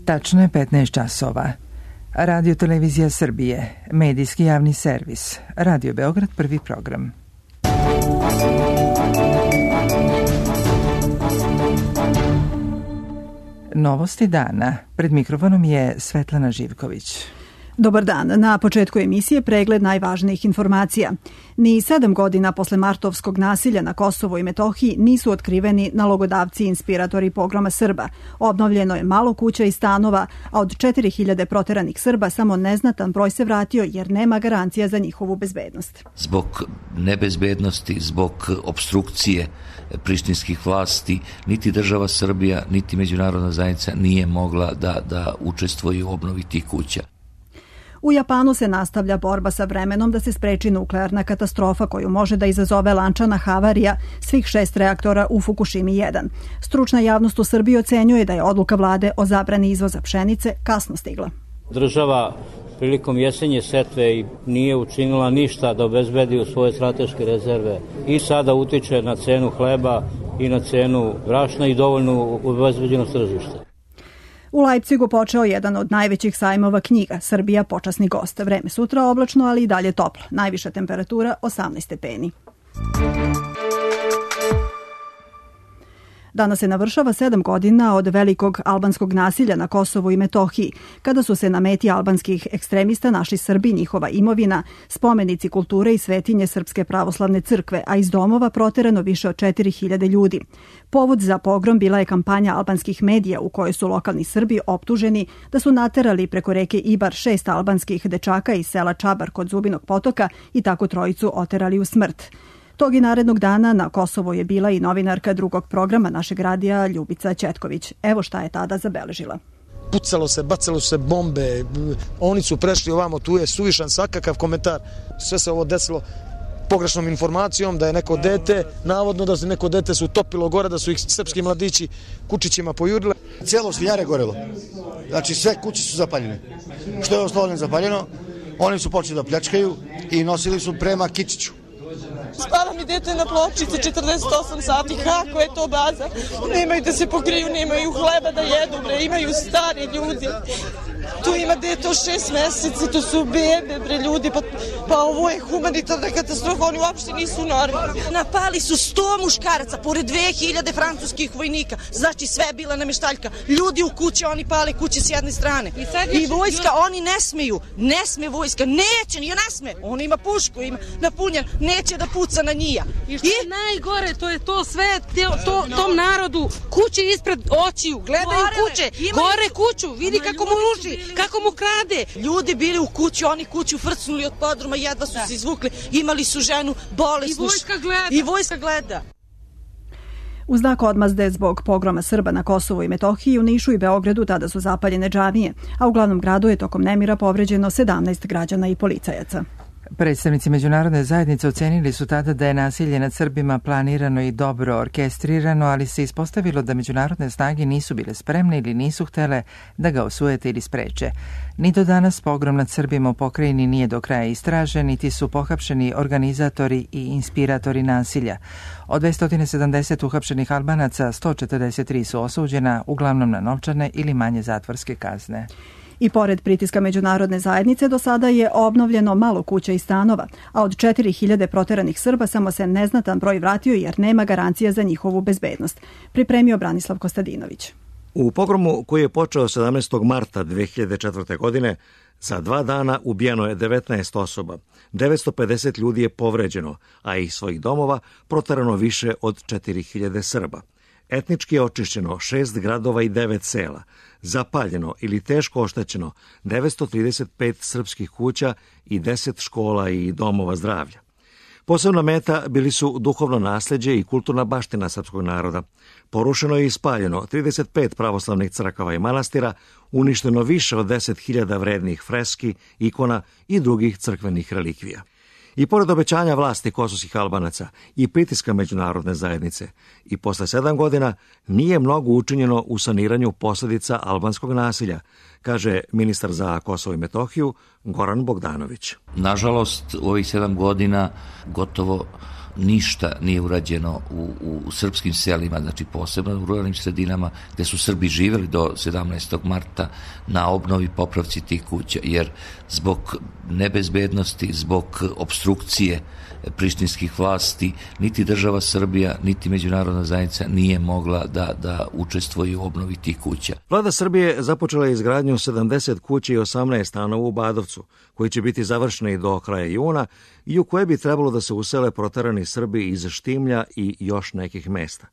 Tačno je 15 časova. Radio Televizija Srbije, medijski javni servis, Radio Beograd, prvi program. Novosti dana. Pred mikrofonom je Svetlana Živković. Dobar dan. Na početku emisije pregled najvažnijih informacija. Ni 7 godina posle martovskog nasilja na Kosovu i Metohiji nisu otkriveni nalogodavci i inspiratori pogroma Srba. Obnovljeno je malo kuća i stanova, a od 4000 proteranih Srba samo neznatan broj se vratio jer nema garancija za njihovu bezbednost. Zbog nebezbednosti, zbog obstrukcije prištinskih vlasti, niti država Srbija, niti međunarodna zajednica nije mogla da učestvuje u obnovi tih kuća. U Japanu se nastavlja borba sa vremenom da se spreči nuklearna katastrofa koju može da izazove lančana havarija svih 6 reaktora u Fukushimi 1. Stručna javnost u Srbiji ocenjuje da je odluka vlade o zabrani izvoza pšenice kasno stigla. Država prilikom jesenje setve nije učinila ništa da obezbedi u svoje strateške rezerve i sada utiče na cenu hleba i na cenu brašna i dovoljnu obezbeđenost tržišta. U Leipzigu počeo jedan od najvećih sajmova knjiga, Srbija počasni gost. Vreme sutra oblačno, ali i dalje toplo. Najviša temperatura 18 stepeni. Danas se navršava 7 godina od velikog albanskog nasilja na Kosovu i Metohiji, kada su se na meti albanskih ekstremista našli Srbi, njihova imovina, spomenici kulture i svetinje Srpske pravoslavne crkve, a iz domova proterano više od 4000 ljudi. Povod za pogrom bila je kampanja albanskih medija u kojoj su lokalni Srbi optuženi da su naterali preko reke Ibar 6 albanskih dečaka iz sela Čabar kod Zubinog potoka i tako trojicu oterali u smrt. Tog i narednog dana na Kosovo je bila i novinarka drugog programa našeg radija Ljubica Ćetković. Evo šta je tada zabeležila. Pucalo se, bacalo se bombe, oni su prešli ovamo, tu je suvišan svakakav komentar. Sve se ovo desilo pogrešnom informacijom da je neko dete, navodno da se neko dete se utopilo gore, da su ih srpski mladići kučićima pojurile. Cijelo Svinjare gorelo, znači sve kuće su zapaljene. Što je osnovno zapaljeno, oni su počeli da pljačkaju i nosili su prema Kičiću. Spava mi dete na pločici 48 sati, kako je to baza? Nemaju da se pokriju, nemaju hleba da jedu, bre, imaju stari ljudi. Tu ima dete od 6 meseci, to su bebe, bre, ljudi, pa ovo je humanitarna katastrofa, oni uopšte nisu normalni. Napali su 100 muškaraca, pored 2000 francuskih vojnika, znači sve je bila namještaljka. Ljudi u kuće, oni pale kuće s jedne strane. I vojska, oni ne sme vojska, neće, ne sme, on ima pušku, ima napunjen, neće da puca na njija. I što je najgore, to je to sve, tom narodu, kuće ispred očiju, gledaju kuće, gore kuću, vidi kako mu ruši, kako mu krade. Ljudi bili u kući, oni kuću frcnuli od podruma, jedva su se izvukli, imali su ženu bolesnu. I vojska gleda. U znak odmazde zbog pogroma Srba na Kosovu i Metohiji u Nišu i Beogradu tada su zapaljene džamije, a u glavnom gradu je tokom nemira povređeno 17 građana i policajaca. Predstavnici međunarodne zajednice ocenili su tada da je nasilje nad Srbima planirano i dobro orkestrirano, ali se ispostavilo da međunarodne snage nisu bile spremne ili nisu htele da ga osujete ili spreče. Ni do danas pogrom nad Srbima u pokrajini nije do kraja istražen, niti su pohapšeni organizatori i inspiratori nasilja. Od 270 uhapšenih Albanaca, 143 su osuđena, uglavnom na novčane ili manje zatvorske kazne. I pored pritiska međunarodne zajednice do sada je obnovljeno malo kuća i stanova, a od 4000 proteranih Srba samo se neznatan broj vratio jer nema garancija za njihovu bezbednost. Pripremio Branislav Kostadinović. U pogromu koji je počeo 17. marta 2004. godine, za 2 dana ubijeno je 19 osoba, 950 ljudi je povređeno, a iz svojih domova proterano više od 4000 Srba. Etnički je očišćeno 6 gradova i 9 sela, zapaljeno ili teško oštećeno 935 srpskih kuća i 10 škola i domova zdravlja. Posebna meta bili su duhovno nasleđe i kulturna baština srpskog naroda. Porušeno je i spaljeno 35 pravoslavnih crkava i manastira, uništeno više od 10.000 vrednih freski, ikona i drugih crkvenih relikvija. I pored obećanja vlasti kosovskih Albanaca i pritiska međunarodne zajednice, i posle 7 godina nije mnogo učinjeno u saniranju posljedica albanskog nasilja, kaže ministar za Kosovo i Metohiju Goran Bogdanović. Nažalost, u ovih 7 godina gotovo ništa nije urađeno u srpskim selima, znači posebno u ruralnim sredinama gde su Srbi živjeli do 17. marta na obnovi popravci tih kuća, jer zbog nebezbednosti, zbog obstrukcije prištinskih vlasti, niti država Srbija, niti međunarodna zajednica nije mogla da učestvuje u obnovi tih kuća. Vlada Srbije započela je izgradnju 70 kuća i 18 stanova u Badovcu, koji će biti završeni do kraja juna i u koje bi trebalo da se usele proterani Srbi iz Štimlja i još nekih mesta.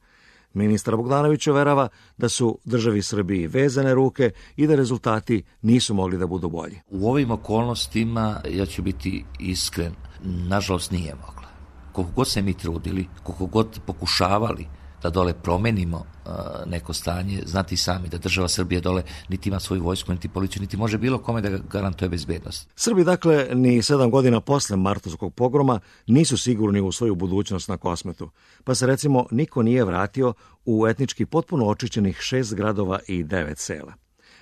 Ministar Bogdanović uverava da su državi Srbiji vezane ruke i da rezultati nisu mogli da budu bolji. U ovim okolnostima, ja ću biti iskren, nažalost nije mogla. Koliko god se mi trudili, koliko god pokušavali da dole promenimo neko stanje, znati sami da država Srbije dole niti ima svoju vojsku, niti policiju, niti može bilo kome da garantuje bezbednost. Srbi, dakle, ni 7 godina posle martovskog pogroma nisu sigurni u svoju budućnost na Kosmetu, pa se recimo niko nije vratio u etnički potpuno očišćenih 6 gradova i 9 sela.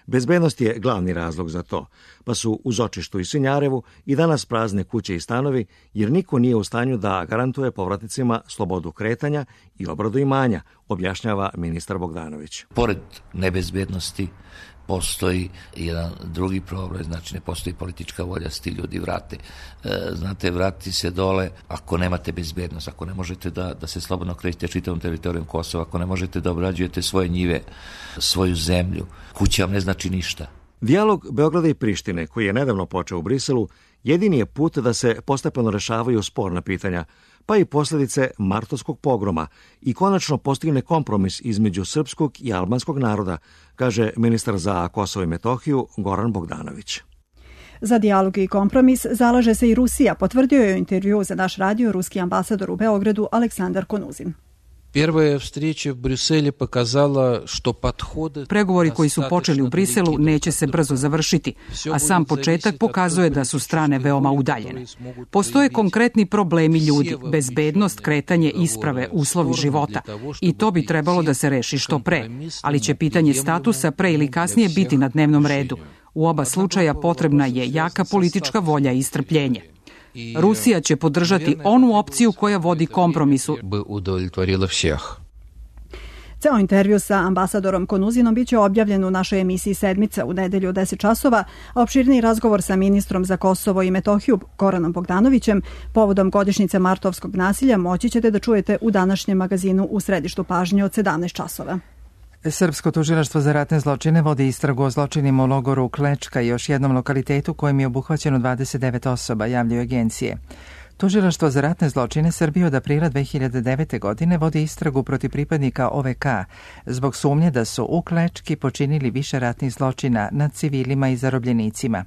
Bezbednost je glavni razlog za to, pa su uz Očištu i Sinjarevu i danas prazne kuće i stanovi, jer niko nije u stanju da garantuje povratnicima slobodu kretanja i obradu imanja, objašnjava ministar Bogdanović. Pored nebezbednosti postoji jedan drugi problem, znači ne postoji politička volja da se ti ljudi vrate. Znate, vratiti se dole ako nemate bezbednost, ako ne možete da se slobodno krećete čitavom teritorijom Kosova, ako ne možete da obrađujete svoje njive, svoju zemlju, kuća vam ne znači ništa. Dijalog Beograda i Prištine, koji je nedavno počeo u Briselu, jedini je put da se postepeno rešavaju sporna pitanja, pa i posljedice martovskog pogroma i konačno postigne kompromis između srpskog i albanskog naroda, kaže ministar za Kosovo i Metohiju Goran Bogdanović. Za dijalog i kompromis zalaže se i Rusija, potvrdio je u intervju za naš radio ruski ambasador u Beogradu Aleksandar Konuzin. Pregovori koji su počeli u Briselu neće se brzo završiti, a sam početak pokazuje da su strane veoma udaljene. Postoje konkretni problemi ljudi, bezbednost, kretanje, isprave, uslovi života i to bi trebalo da se reši što pre, ali će pitanje statusa pre ili kasnije biti na dnevnom redu. U oba slučaja potrebna je jaka politička volja i strpljenje. Rusija će podržati onu opciju koja vodi kompromisu. Ceo intervju sa ambasadorom Konuzinom biće objavljen u našoj emisiji Sedmica u nedelju od 10 časova, a opširniji razgovor sa ministrom za Kosovo i Metohiju Goranom Bogdanovićem povodom godišnjice martovskog nasilja moći ćete da čujete u današnjem magazinu U središtu pažnje od 17 časova. Srpsko tužilaštvo za ratne zločine vodi istragu o zločinima u logoru Klečka i još jednom lokalitetu kojem je obuhvaćeno 29 osoba, javljaju agencije. Tužilaštvo za ratne zločine Srbije od aprila 2009. godine vodi istragu protiv pripadnika OVK zbog sumnje da su u Klečki počinili više ratnih zločina nad civilima i zarobljenicima.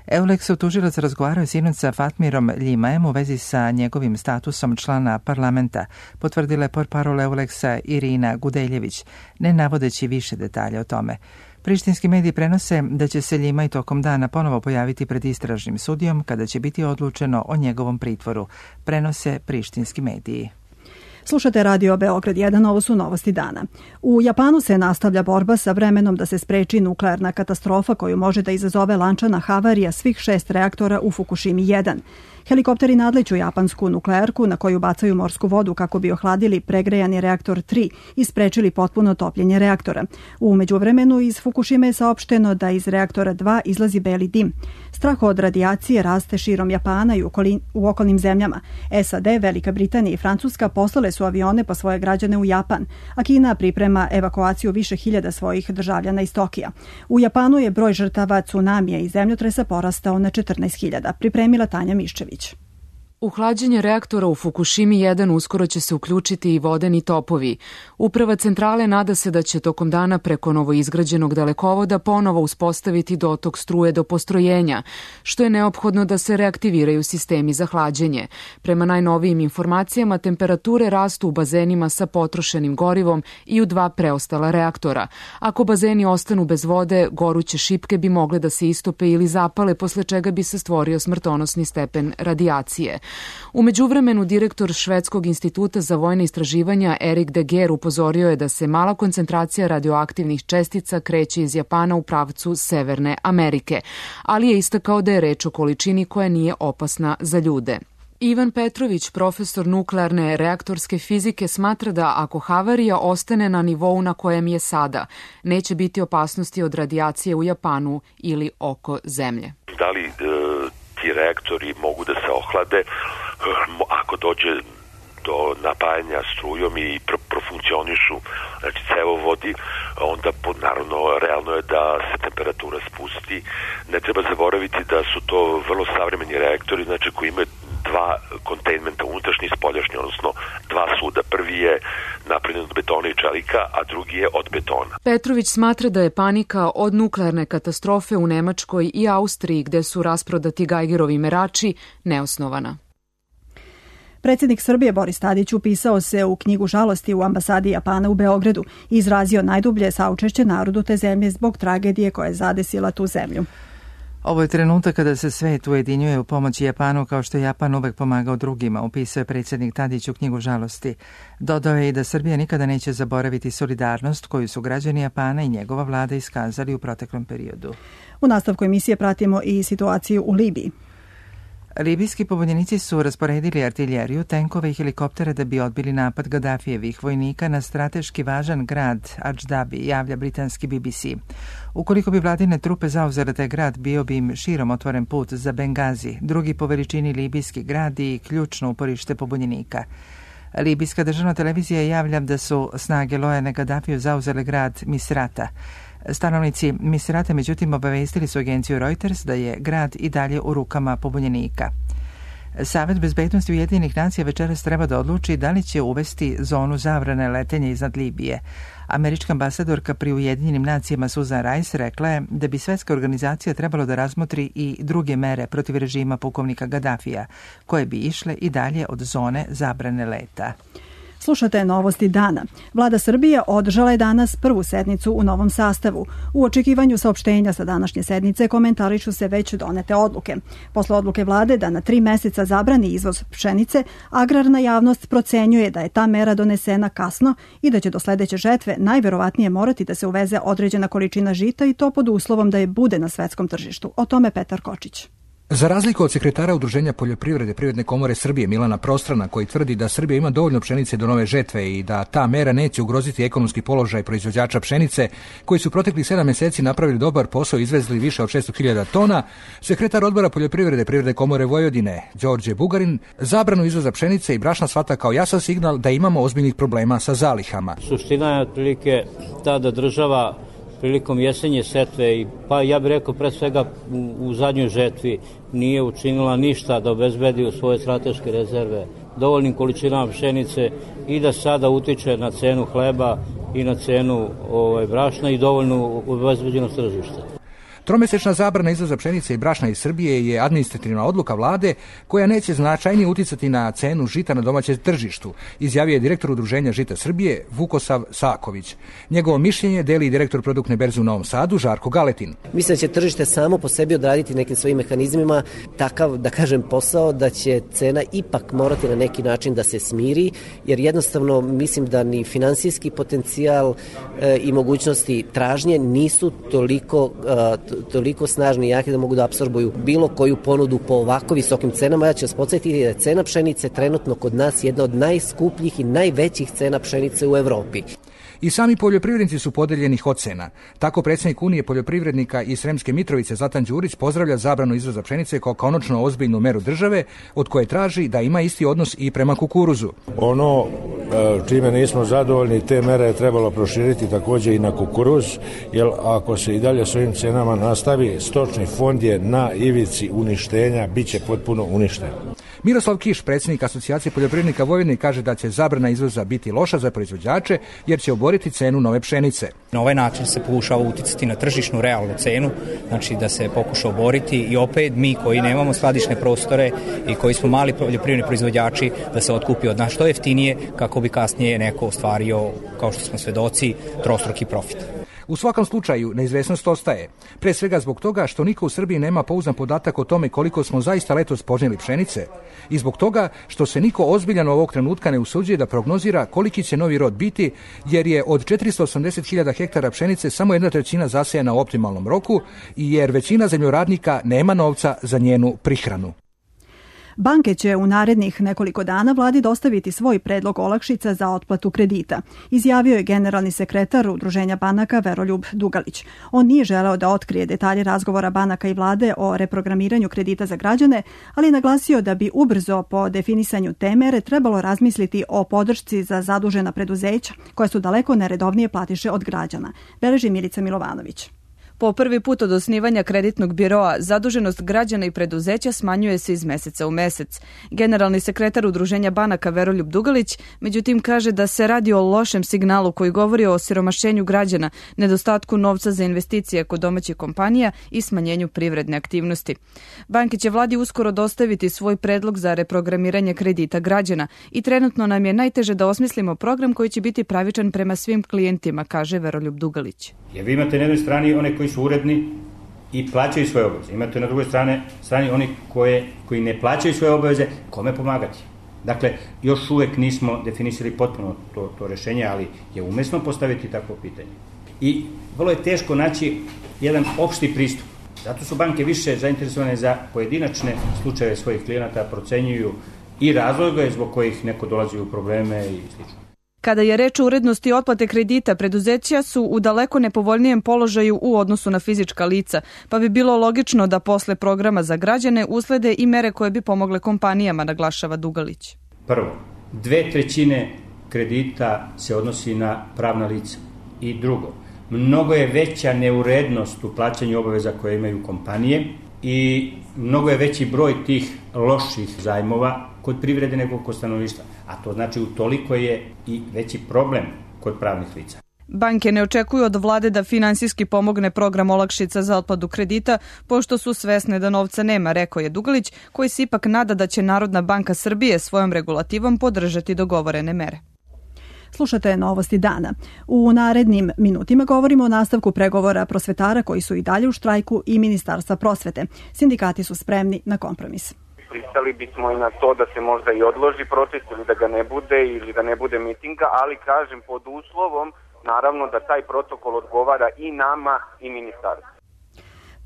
Euleksov tužilac razgovarao sinoć sa Fatmirom Ljimajem u vezi sa njegovim statusom člana parlamenta, potvrdila je portparol Euleksa Irina Gudeljević, ne navodeći više detalja o tome. Prištinski mediji prenose da će se Ljimaj tokom dana ponovo pojaviti pred istražnim sudijom kada će biti odlučeno o njegovom pritvoru, prenose prištinski mediji. Slušate Radio Beograd 1, ovo su novosti dana. U Japanu se nastavlja borba sa vremenom da se spreči nuklearna katastrofa koju može da izazove lančana havarija svih 6 reaktora u Fukushimi 1. Helikopteri nadliću japansku nuklearku na koju bacaju morsku vodu kako bi ohladili pregrejani reaktor 3 i sprečili potpuno topljenje reaktora. U međuvremenu iz Fukushime je saopšteno da iz reaktora 2 izlazi beli dim. Strah od radijacije raste širom Japana i u okolnim zemljama. SAD, Velika Britanija i Francuska poslale su avione po svoje građane u Japan, a Kina priprema evakuaciju više hiljada svojih državljana iz Tokija. U Japanu je broj žrtava tsunamija i zemljotresa porastao na 14.000, pripremila Tanja Miščević. U hlađenje reaktora u Fukushimi 1 uskoro će se uključiti i vodeni topovi. Uprava centrale nada se da će tokom dana preko novoizgrađenog dalekovoda ponovo uspostaviti dotok struje do postrojenja, što je neophodno da se reaktiviraju sistemi za hlađenje. Prema najnovijim informacijama, temperature rastu u bazenima sa potrošenim gorivom i u 2 preostala reaktora. Ako bazeni ostanu bez vode, goruće šipke bi mogle da se istope ili zapale, posle čega bi se stvorio smrtonosni stepen radijacije. U međuvremenu, direktor Švedskog instituta za vojne istraživanja Erik de Geer upozorio je da se mala koncentracija radioaktivnih čestica kreće iz Japana u pravcu Severne Amerike, ali je istakao da je reč o količini koja nije opasna za ljude. Ivan Petrović, profesor nuklearne reaktorske fizike, smatra da ako havarija ostane na nivou na kojem je sada, neće biti opasnosti od radijacije u Japanu ili oko zemlje. Da li ti reaktori mogu da se ohlade ako dođe do napajanja strujom i profunkcionišu, znači cevovodi, onda naravno realno je da se temperatura spusti. Ne treba zaboraviti da su to vrlo savremeni reaktori, znači koji imaju dva kontajnmenta, unutrašnji i spoljašnji, odnosno dva suda. Prvi je napravljen od betona i čelika, a drugi je od betona. Petrović smatra da je panika od nuklearne katastrofe u Nemačkoj i Austriji, gde su rasprodati Geigerovi merači, neosnovana. Predsjednik Srbije Boris Tadić upisao se u knjigu žalosti u ambasadi Japana u Beogradu i izrazio najdublje saučešće narodu te zemlje zbog tragedije koja je zadesila tu zemlju. Ovo je trenutak kada se svet ujedinjuje u pomoći Japanu kao što je Japan uvek pomagao drugima, upisao je predsjednik Tadić u knjigu žalosti. Dodao je i da Srbija nikada neće zaboraviti solidarnost koju su građani Japana i njegova vlada iskazali u proteklom periodu. U nastavku emisije pratimo i situaciju u Libiji. Libijski pobunjenici su rasporedili artiljeriju, tenkove i helikoptere da bi odbili napad Gadafijevih vojnika na strateški važan grad Adždabi, javlja britanski BBC. Ukoliko bi vladine trupe zauzele taj grad, bio bi im širom otvoren put za Bengazi, drugi po veličini libijski grad i ključno uporište pobunjenika. Libijska državna televizija javlja da su snage lojane Gadafiju zauzele grad Misrata. Stanovnici Misrata međutim obavestili su agenciju Reuters da je grad i dalje u rukama pobunjenika. Savet bezbednosti Ujedinjenih nacija večeras treba da odluči da li će uvesti zonu zabrane letenja iznad Libije. Američka ambasadorka pri Ujedinjenim nacijama Susan Rice rekla je da bi svetska organizacija trebalo da razmotri i druge mere protiv režima pukovnika Gadafija, koje bi išle i dalje od zone zabrane leta. Slušate novosti dana. Vlada Srbije održala je danas prvu sednicu u novom sastavu. U očekivanju saopštenja sa današnje sednice komentarišu se već donete odluke. Posle odluke vlade da na 3 meseca zabrani izvoz pšenice, agrarna javnost procenjuje da je ta mera donesena kasno i da će do sledeće žetve najverovatnije morati da se uveze određena količina žita i to pod uslovom da je bude na svetskom tržištu. O tome Petar Kočić. Za razliku od sekretara Udruženja poljoprivrede Privredne komore Srbije Milana Prostrana, koji tvrdi da Srbija ima dovoljno pšenice do nove žetve i da ta mera neće ugroziti ekonomski položaj proizvođača pšenice, koji su proteklih 7 meseci napravili dobar posao i izvezli više od 600.000 tona, sekretar odbora poljoprivrede Privredne komore Vojvodine Đorđe Bugarin zabranu izvoza pšenice i brašna shvata kao jasan signal da imamo ozbiljnih problema sa zalihama. Suština je otprilike ta da država prilikom jesenje setve, pa ja bih rekao pre svega u zadnjoj žetvi, nije učinila ništa da obezbedi u svoje strateške rezerve dovoljnim količinama pšenice i da sada utiče na cenu hleba i na cenu brašna i dovoljnu obezbeđenost tržišta. Tromesečna zabrana izvoza pšenice i brašna iz Srbije je administrativna odluka vlade koja neće značajnije uticati na cenu žita na domaćem tržištu, izjavio je direktor Udruženja žita Srbije Vukosav Saković. Njegovo mišljenje deli i direktor produktne berze u Novom Sadu Žarko Galetin. Mislim da će tržište samo po sebi odraditi nekim svojim mehanizmima takav, da kažem, posao da će cena ipak morati na neki način da se smiri, jer jednostavno mislim da ni finansijski potencijal i mogućnosti tražnje nisu toliko snažni i jaki da mogu da apsorbuju bilo koju ponudu po ovako visokim cenama. Ja ću vas podsjetiti da je cena pšenice trenutno kod nas jedna od najskupljih i najvećih cena pšenice u Evropi. I sami poljoprivrednici su podeljenih ocena. Tako predsjednik Unije poljoprivrednika iz Sremske Mitrovice Zlatan Đurić pozdravlja zabranu izvoza pšenice kao konačno ozbiljnu meru države od koje traži da ima isti odnos i prema kukuruzu. Ono čime nismo zadovoljni, te mere je trebalo proširiti također i na kukuruz, jer ako se i dalje s ovim cenama nastavi, stočni fond je na ivici uništenja, bit će potpuno uništen. Miroslav Kiš, predsjednik Asocijacije poljoprivrednika Vojvodine, kaže da će zabrana izvoza biti loša za proizvođače jer će oboriti cenu nove pšenice. Na ovaj način se pokušava uticati na tržišnu realnu cenu, znači da se pokuša oboriti i opet mi koji nemamo skladišne prostore i koji smo mali poljoprivredni proizvođači da se otkupi od nas što jeftinije kako bi kasnije neko ostvario, kao što smo svedoci, trostruki profit. U svakom slučaju, neizvesnost ostaje. Pre svega zbog toga što niko u Srbiji nema pouzdan podatak o tome koliko smo zaista letos požnjeli pšenice i zbog toga što se niko ozbiljan ovog trenutka ne usuđuje da prognozira koliki će novi rod biti, jer je od 480.000 hektara pšenice samo 1/3 zasejana u optimalnom roku i jer većina zemljoradnika nema novca za njenu prihranu. Banke će u narednih nekoliko dana vladi dostaviti svoj predlog olakšica za otplatu kredita, izjavio je generalni sekretar Udruženja banaka Veroljub Dugalić. On nije želeo da otkrije detalje razgovora banaka i vlade o reprogramiranju kredita za građane, ali naglasio da bi ubrzo po definisanju te mere trebalo razmisliti o podršci za zadužena preduzeća koja su daleko neredovnije platiše od građana, beleži Milica Milovanović. Po prvi put od osnivanja kreditnog biroa, zaduženost građana i preduzeća smanjuje se iz meseca u mesec. Generalni sekretar Udruženja banaka Veroljub Dugalić, međutim, kaže da se radi o lošem signalu koji govori o siromašenju građana, nedostatku novca za investicije kod domaćih kompanija i smanjenju privredne aktivnosti. Banke će vladi uskoro dostaviti svoj predlog za reprogramiranje kredita građana i trenutno nam je najteže da osmislimo program koji će biti pravičan prema svim klijentima, kaže Veroljub Dugalić. Jer vi imate na jednoj strani one koji su uredni i plaćaju svoje obaveze. Imate na drugoj strani oni koji ne plaćaju svoje obaveze, kome pomagati. Dakle, još uvek nismo definisali potpuno to rešenje, ali je umesno postaviti takvo pitanje. I vrlo je teško naći jedan opšti pristup. Zato su banke više zainteresovane za pojedinačne slučajeve svojih klijenata, procenjuju i razloge zbog kojih neko dolazi u probleme i sl. Kada je reč o urednosti otplate kredita, preduzeća su u daleko nepovoljnijem položaju u odnosu na fizička lica, pa bi bilo logično da posle programa za građane uslede i mere koje bi pomogle kompanijama, naglašava Dugalić. Prvo, 2/3 kredita se odnosi na pravna lica. I drugo, mnogo je veća neurednost u plaćanju obaveza koje imaju kompanije i mnogo je veći broj tih loših zajmova kod privrede nego kod stanovništva. A to znači utoliko je i veći problem kod pravnih lica. Banke ne očekuju od vlade da finansijski pomogne program olakšica za otplatu kredita, pošto su svesne da novca nema, rekao je Dugalić, koji se ipak nada da će Narodna banka Srbije svojom regulativom podržati dogovorene mere. Slušate Novosti dana. U narednim minutima govorimo o nastavku pregovora prosvetara koji su i dalje u štrajku i Ministarstva prosvete. Sindikati su spremni na kompromis. Pristali bismo i na to da se možda i odloži protest ili da ga ne bude ili da ne bude mitinga, ali kažem pod uslovom naravno da taj protokol odgovara i nama i ministarstvu.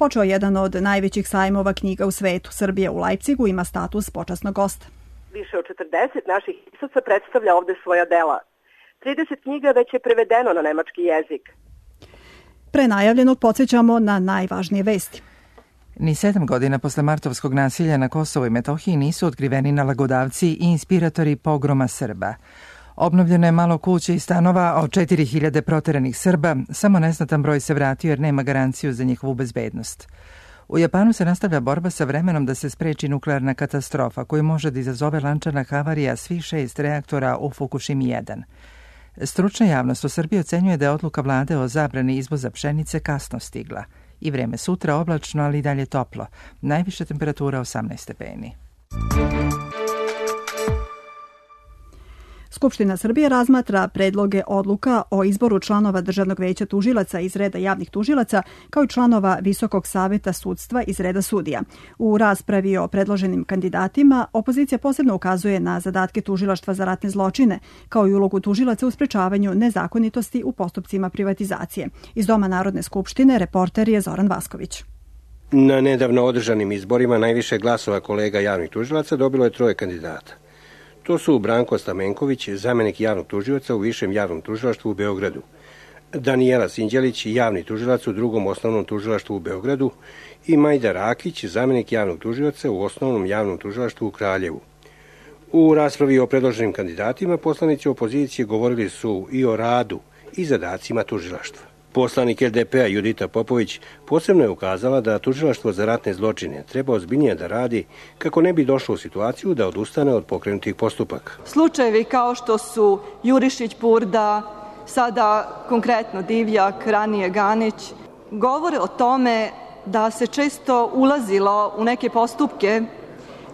Počeo jedan od najvećih sajmova knjiga u svetu. Srbija u Leipzigu ima status počasnog gosta. Više od 40 naših pisaca predstavlja ovde svoja dela. 30 knjiga već je prevedeno na nemački jezik. Pre najavljenog podsjećamo na najvažnije vesti. Ni 7 godina posle martovskog nasilja na Kosovu i Metohiji nisu otkriveni nalagodavci i inspiratori pogroma Srba. Obnovljeno je malo kuća i stanova od 4000 proteranih Srba, samo neznatan broj se vratio jer nema garanciju za njihovu bezbednost. U Japanu se nastavlja borba sa vremenom da se spreči nuklearna katastrofa koju može da izazove lančana havarija svih 6 reaktora u Fukushimi 1. Stručna javnost u Srbiji ocenjuje da je odluka vlade o zabrani izvoza pšenice kasno stigla. I vreme sutra oblačno, ali i dalje toplo. Najviša temperatura 18 stepeni. Skupština Srbije razmatra predloge odluka o izboru članova Državnog veća tužilaca iz reda javnih tužilaca, kao i članova Visokog saveta sudstva iz reda sudija. U raspravi o predloženim kandidatima opozicija posebno ukazuje na zadatke Tužilaštva za ratne zločine, kao i ulogu tužilaca u sprečavanju nezakonitosti u postupcima privatizacije. Iz Doma Narodne skupštine reporter je Zoran Vasković. Na nedavno održanim izborima najviše glasova kolega javnih tužilaca dobilo je 3 kandidata. To su Branko Stamenković, zamenik javnog tužioca u Višem javnom tužilaštvu u Beogradu, Danijela Sinđelić, javni tužilac u Drugom osnovnom tužilaštvu u Beogradu i Majda Rakić, zamenik javnog tužioca u Osnovnom javnom tužilaštvu u Kraljevu. U raspravi o predloženim kandidatima poslanici opozicije govorili su i o radu i zadacima tužilaštva. Poslanik LDP-a Judita Popović posebno je ukazala da Tužilaštvo za ratne zločine treba ozbiljnije da radi kako ne bi došlo u situaciju da odustane od pokrenutih postupaka. Slučajevi kao što su Jurišić, Purda, sada konkretno Divjak, ranije Ganić, govore o tome da se često ulazilo u neke postupke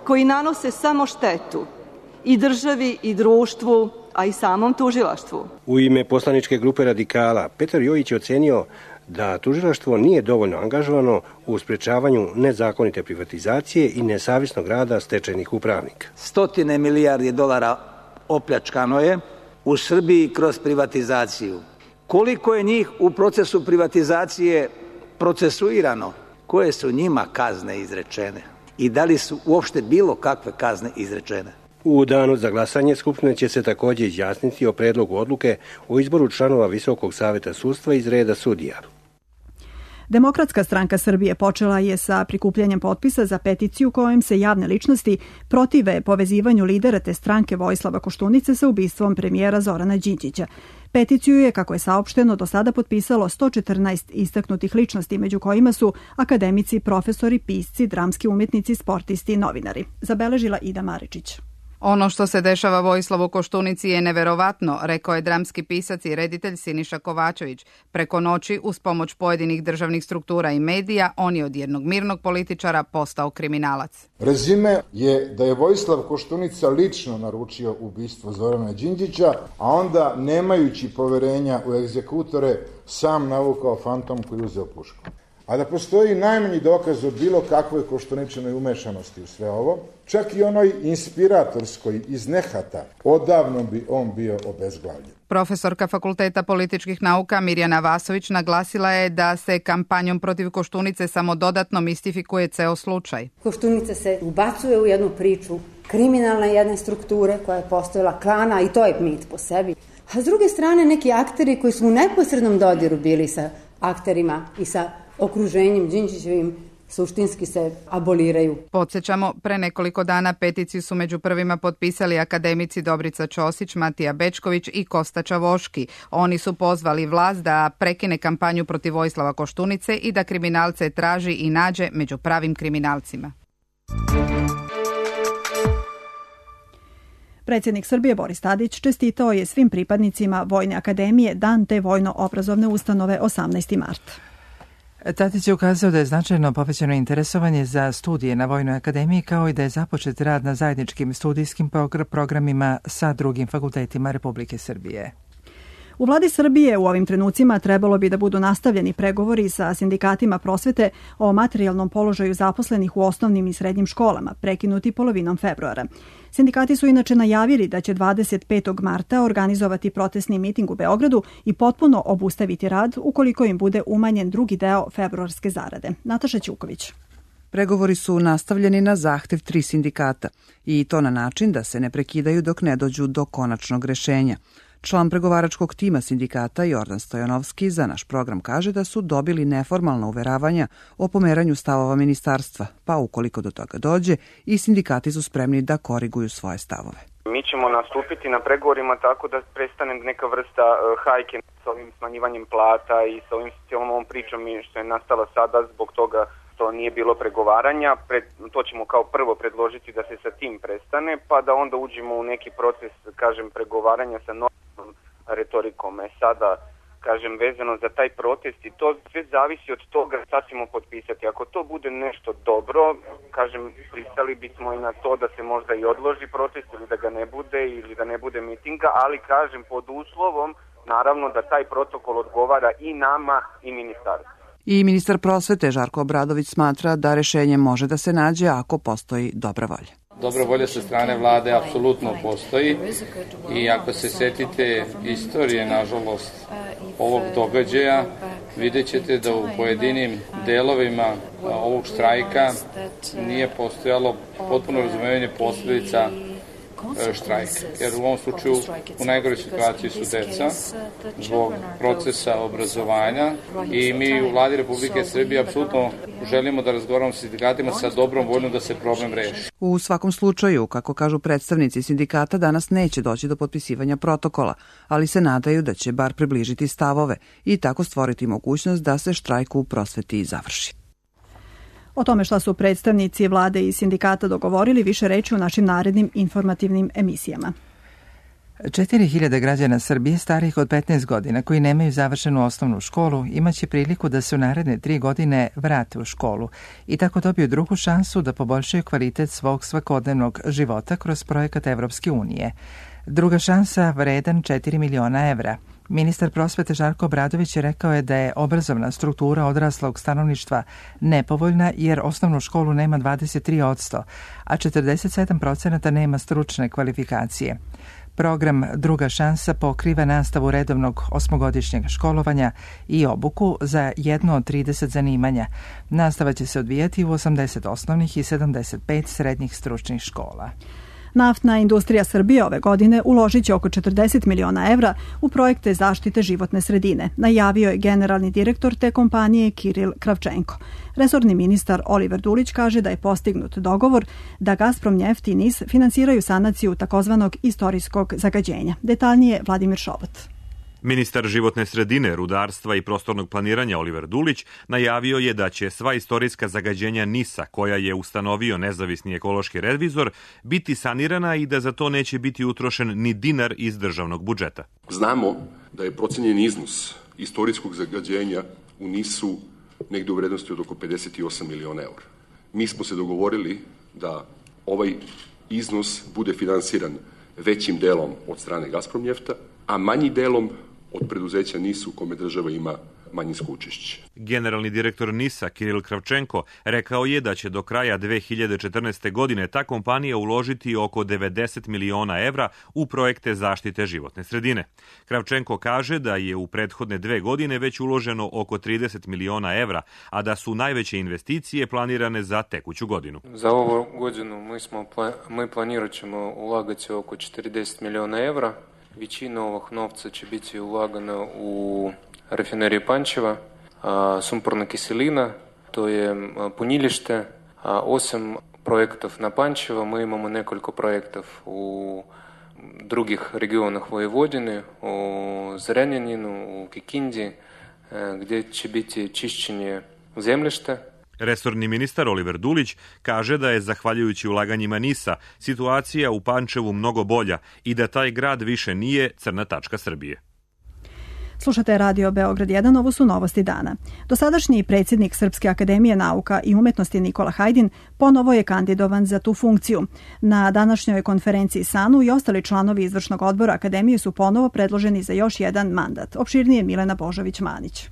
koji nanose samo štetu i državi i društvu, a i samom tužilaštvu. U ime poslaničke grupe Radikala, Petar Jojić je ocenio da tužilaštvo nije dovoljno angažovano u sprečavanju nezakonite privatizacije i nesavjesnog rada stečajnih upravnika. 100 milijardi dolara opljačkano je u Srbiji kroz privatizaciju. Koliko je njih u procesu privatizacije procesuirano? Koje su njima kazne izrečene? i da li su uopšte bilo kakve kazne izrečene. U danu za glasanje Skupština će se takođe izjasniti o predlogu odluke o izboru članova Visokog saveta sudstva iz reda sudija. Demokratska stranka Srbije počela je sa prikupljanjem potpisa za peticiju kojom se javne ličnosti protive povezivanju lidera te stranke Vojislava Koštunice sa ubistvom premijera Zorana Đinđića. Peticiju je, kako je saopšteno, do sada potpisalo 114 istaknutih ličnosti, među kojima su akademici, profesori, pisci, dramski umetnici, sportisti i novinari. Zabeležila Ida Maričić. Ono što se dešava Vojislavu Koštunici je neverovatno, rekao je dramski pisac i reditelj Siniša Kovačević. Preko noći, uz pomoć pojedinih državnih struktura i medija, on je od jednog mirnog političara postao kriminalac. Rezime je da je Vojislav Koštunica lično naručio ubistvo Zorana Đinđića, a onda, nemajući poverenja u egzekutore, sam navukao fantom koji uzeo pušku. A da postoji najmanji dokaz od bilo kakvoj Koštuničinoj umešanosti u sve ovo, čak i onoj inspiratorskoj iz nehata, odavno bi on bio obezglavljen. Profesorka Fakulteta političkih nauka Mirjana Vasović naglasila je da se kampanjom protiv Koštunice samo dodatno mistifikuje ceo slučaj. Koštunica se ubacuje u jednu priču kriminalne jedne strukture koja je postojala klana i to je mit po sebi. A s druge strane neki akteri koji su u neposrednom dodiru bili sa akterima i sa okruženjem Đinđićevim suštinski se aboliraju. Podsjećamo, pre nekoliko dana peticiju su među prvima potpisali akademici Dobrica Ćosić, Matija Bečković i Kosta Čavoški. Oni su pozvali vlast da prekine kampanju protiv Vojislava Koštunice i da kriminalce traži i nađe među pravim kriminalcima. Predsjednik Srbije Boris Tadić čestitao je svim pripadnicima Vojne akademije dan te vojno-obrazovne ustanove 18. mart. Tadić je ukazao da je značajno povećano interesovanje za studije na Vojnoj akademiji, kao i da je započet rad na zajedničkim studijskim programima sa drugim fakultetima Republike Srbije. U vladi Srbije u ovim trenucima trebalo bi da budu nastavljeni pregovori sa sindikatima prosvete o materijalnom položaju zaposlenih u osnovnim i srednjim školama, prekinuti polovinom februara. Sindikati su inače najavili da će 25. marta organizovati protestni miting u Beogradu i potpuno obustaviti rad ukoliko im bude umanjen drugi deo februarske zarade. Nataša Ćuković. Pregovori su nastavljeni na zahtev 3 sindikata i to na način da se ne prekidaju dok ne dođu do konačnog rešenja. Član pregovaračkog tima sindikata Jordan Stojanovski za naš program kaže da su dobili neformalna uveravanja o pomeranju stavova ministarstva, pa ukoliko do toga dođe i sindikati su spremni da koriguju svoje stavove. Mi ćemo nastupiti na pregovorima tako da prestane neka vrsta hajke sa ovim smanjivanjem plata i sa ovim cijelom ovom pričom što je nastala sada zbog toga što nije bilo pregovaranja. To ćemo kao prvo predložiti da se sa tim prestane, pa da onda uđemo u neki proces, pregovaranja sa normalnom retorikom. Sada, vezano za taj protest i to sve zavisi od toga šta ćemo potpisati. Ako to bude nešto dobro, pristali bismo i na to da se možda i odloži protest ili da ga ne bude ili da ne bude mitinga, ali pod uslovom naravno da taj protokol odgovara i nama i ministarstvu. I ministar prosvete Žarko Obradović smatra da rešenje može da se nađe ako postoji dobra volja. Dobra volja sa strane vlade apsolutno postoji i ako se setite istorije, nažalost, ovog događaja, vidjet ćete da u pojedinim delovima ovog štrajka nije postojalo potpuno razumevanje posledica štrajka. Jer u ovom slučaju u najgoroj situaciji su deca zbog procesa obrazovanja i mi u vladi Republike Srbije apsolutno želimo da razgovaramo sa sindikatima sa dobrom voljom da se problem reši. U svakom slučaju, kako kažu predstavnici sindikata, danas neće doći do potpisivanja protokola, ali se nadaju da će bar približiti stavove i tako stvoriti mogućnost da se štrajk u prosveti završi. O tome šta su predstavnici vlade i sindikata dogovorili više reći u našim narednim informativnim emisijama. 4.000 građana Srbije starijih od 15 godina koji nemaju završenu osnovnu školu imaće priliku da se u naredne 3 godine vrate u školu i tako dobiju drugu šansu da poboljšaju kvalitet svog svakodnevnog života kroz projekat Evropske unije. Druga šansa vredan 4 miliona evra. Ministar prosvete Žarko Obradović je rekao da je obrazovna struktura odraslog stanovništva nepovoljna jer osnovnu školu nema 23%, a 47% nema stručne kvalifikacije. Program Druga šansa pokriva nastavu redovnog osmogodišnjeg školovanja i obuku za jedno od 30 zanimanja. Nastava će se odvijati u 80 osnovnih i 75 srednjih stručnih škola. Naftna industrija Srbije ove godine uložit će oko 40 miliona evra u projekte zaštite životne sredine, najavio je generalni direktor te kompanije Kiril Kravčenko. Resorni ministar Oliver Dulić kaže da je postignut dogovor da Gazprom Neft i NIS finansiraju sanaciju takozvanog istorijskog zagađenja. Detaljnije Vladimir Šobot. Ministar životne sredine, rudarstva i prostornog planiranja Oliver Dulić najavio je da će sva istorijska zagađenja NIS-a, koja je ustanovio nezavisni ekološki revizor, biti sanirana i da za to neće biti utrošen ni dinar iz državnog budžeta. Znamo da je procenjen iznos istorijskog zagađenja u NIS-u negde u vrednosti od oko 58 miliona eura. Mi smo se dogovorili da ovaj iznos bude finansiran većim delom od strane Gazprom Njefta, a manji delom od preduzeća NIS u kome država ima manjinsko učešće. Generalni direktor NIS-a Kiril Kravčenko rekao je da će do kraja 2014. godine ta kompanija uložiti oko 90 miliona evra u projekte zaštite životne sredine. Kravčenko kaže da je u prethodne 2 godine već uloženo oko 30 miliona evra, a da su najveće investicije planirane za tekuću godinu. Za ovu godinu mi planirat ćemo ulagati oko 40 miliona evra. Većina ovog novca će biti ulagana u rafineriju Pančeva, sumporna kiselina, to je punilište. Osim projektov na Pančeva, mi imamo nekoliko projektov u drugih regionах Vojvodine, u Zrenjaninu, u Kikindi, gdje će biti čišćenje zemljišta. Resorni ministar Oliver Dulić kaže da je, zahvaljujući ulaganjima NIS-a, situacija u Pančevu mnogo bolja i da taj grad više nije crna tačka Srbije. Slušate Radio Beograd 1, ovo su novosti dana. Dosadašnji predsjednik Srpske akademije nauka i umetnosti Nikola Hajdin ponovo je kandidovan za tu funkciju. Na današnjoj konferenciji SANU i ostali članovi izvršnog odbora akademije su ponovo predloženi za još jedan mandat. Opširnije Milena Božović-Manić.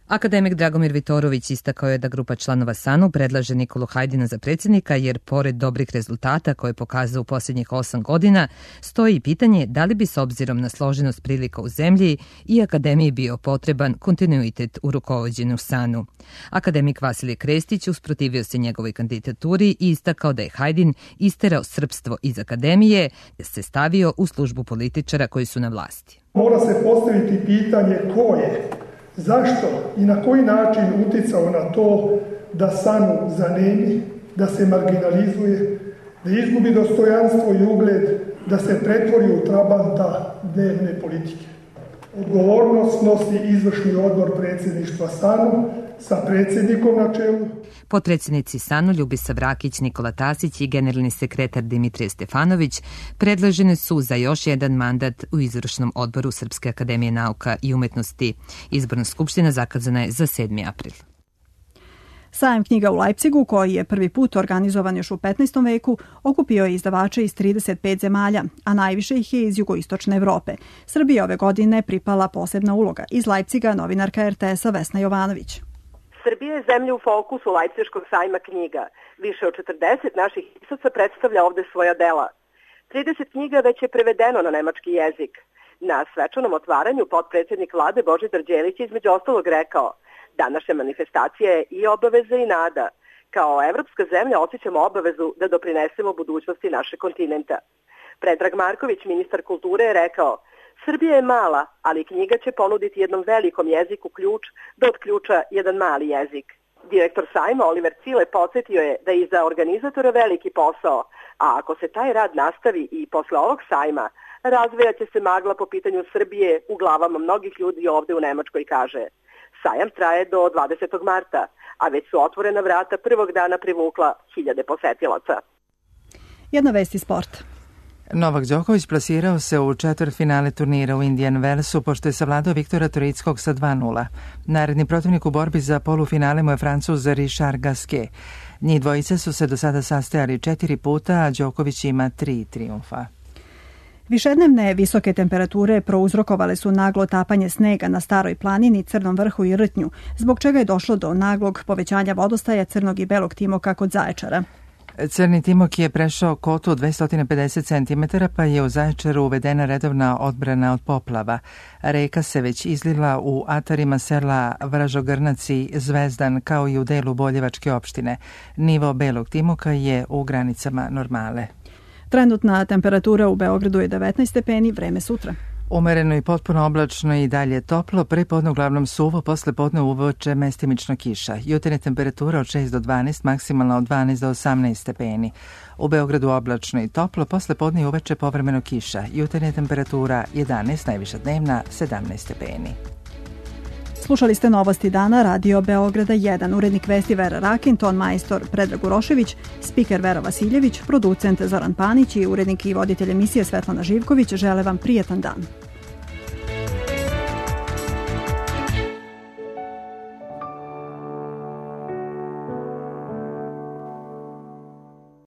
Akademik Dragomir Vitorović istakao je da grupa članova SANU predlaže Nikolu Hajdina za predsjednika jer pored dobrih rezultata koje je pokazao u posljednjih 8 godina, stoji pitanje da li bi s obzirom na složenost prilika u zemlji i akademiji bio potreban kontinuitet u rukovođenju SANU. Akademik Vasilije Krestić usprotivio se njegovoj kandidaturi i istakao da je Hajdin isterao srpstvo iz akademije te se stavio u službu političara koji su na vlasti. Mora se postaviti pitanje ko je, zašto i na koji način uticao na to da SANU zanemi, da se marginalizuje, da izgubi dostojanstvo i ugled, da se pretvori u trabanta dnevne politike. Odgovornost nosi izvršni odbor predsjedništva SANU sa predsjednikom na čelu. Potpredsjednici SANU Ljubisa Vrakić, Nikola Tasić i generalni sekretar Dimitrije Stefanović predložene su za još jedan mandat u izvršnom odboru Srpske akademije nauka i umetnosti. Izborna skupština zakazana je za 7. april. Sajam knjiga u Leipzigu, koji je prvi put organizovan još u 15. veku, okupio je izdavače iz 35 zemalja, a najviše ih je iz jugoistočne Evrope. Srbiji ove godine pripala posebna uloga. Iz Leipziga novinarka RTS-a Vesna Jovanović. Srbija je zemlja u fokusu Leipziškog sajma knjiga. Više od 40 naših pisaca predstavlja ovde svoja dela. 30 knjiga već je prevedeno na nemački jezik. Na svečanom otvaranju potpredsjednik vlade Božidar Đelić između ostalog rekao: današnja manifestacija je i obaveza i nada. Kao evropska zemlja osjećamo obavezu da doprinesemo budućnosti našeg kontinenta. Predrag Marković, ministar kulture, je rekao: Srbija je mala, ali knjiga će ponuditi jednom velikom jeziku ključ da otključa jedan mali jezik. Direktor sajma Oliver Cile podsjetio je da je iza organizatora veliki posao, a ako se taj rad nastavi i posle ovog sajma, razvijaće se magla po pitanju Srbije u glavama mnogih ljudi ovde u Nemačkoj, kaže. Sajam traje do 20. marta, a već su otvorena vrata prvog dana privukla 1000 posetilaca. Jedna vest iz sporta. Novak Đoković plasirao se u četvrtfinale turnira u Indian Wellsu pošto je savladao Viktora Troickog sa 2:0. Naredni protivnik u borbi za polufinale mu je Francuz Richard Gasquet. Njih dvojice su se do sada sastajali 4 puta, a Đoković ima 3 trijumfa. Višednevne visoke temperature prouzrokovale su naglo tapanje snega na Staroj planini, Crnom vrhu i Rtnju, zbog čega je došlo do naglog povećanja vodostaja Crnog i Belog Timoka kod Zaječara. Crni Timok je prešao kotu od 250 cm, pa je u Zaječaru uvedena redovna odbrana od poplava. Reka se već izlila u atarima sela Vražogrnac i Zvezdan, kao i u delu Boljevačke opštine. Nivo Belog Timoka je u granicama normale. Trenutna temperatura u Beogradu je 19 stepeni, vreme sutra. Umereno i potpuno oblačno i dalje toplo, prepodne uglavnom suvo, posle podne uveče mestimično kiša. Jutarnja temperatura od 6 do 12, maksimalna od 12 do 18 stepeni. U Beogradu oblačno i toplo, posle podne i uveče povremeno kiša. Jutarnja temperatura 11, najviša dnevna 17 stepeni. Slušali ste Novosti dana, Radio Beograda 1, urednik vesti Vera Rakin, ton majstor Predrag Urošević, spiker Vera Vasiljević, producent Zoran Panić i urednik i voditelj emisije Svetlana Živković žele vam prijetan dan.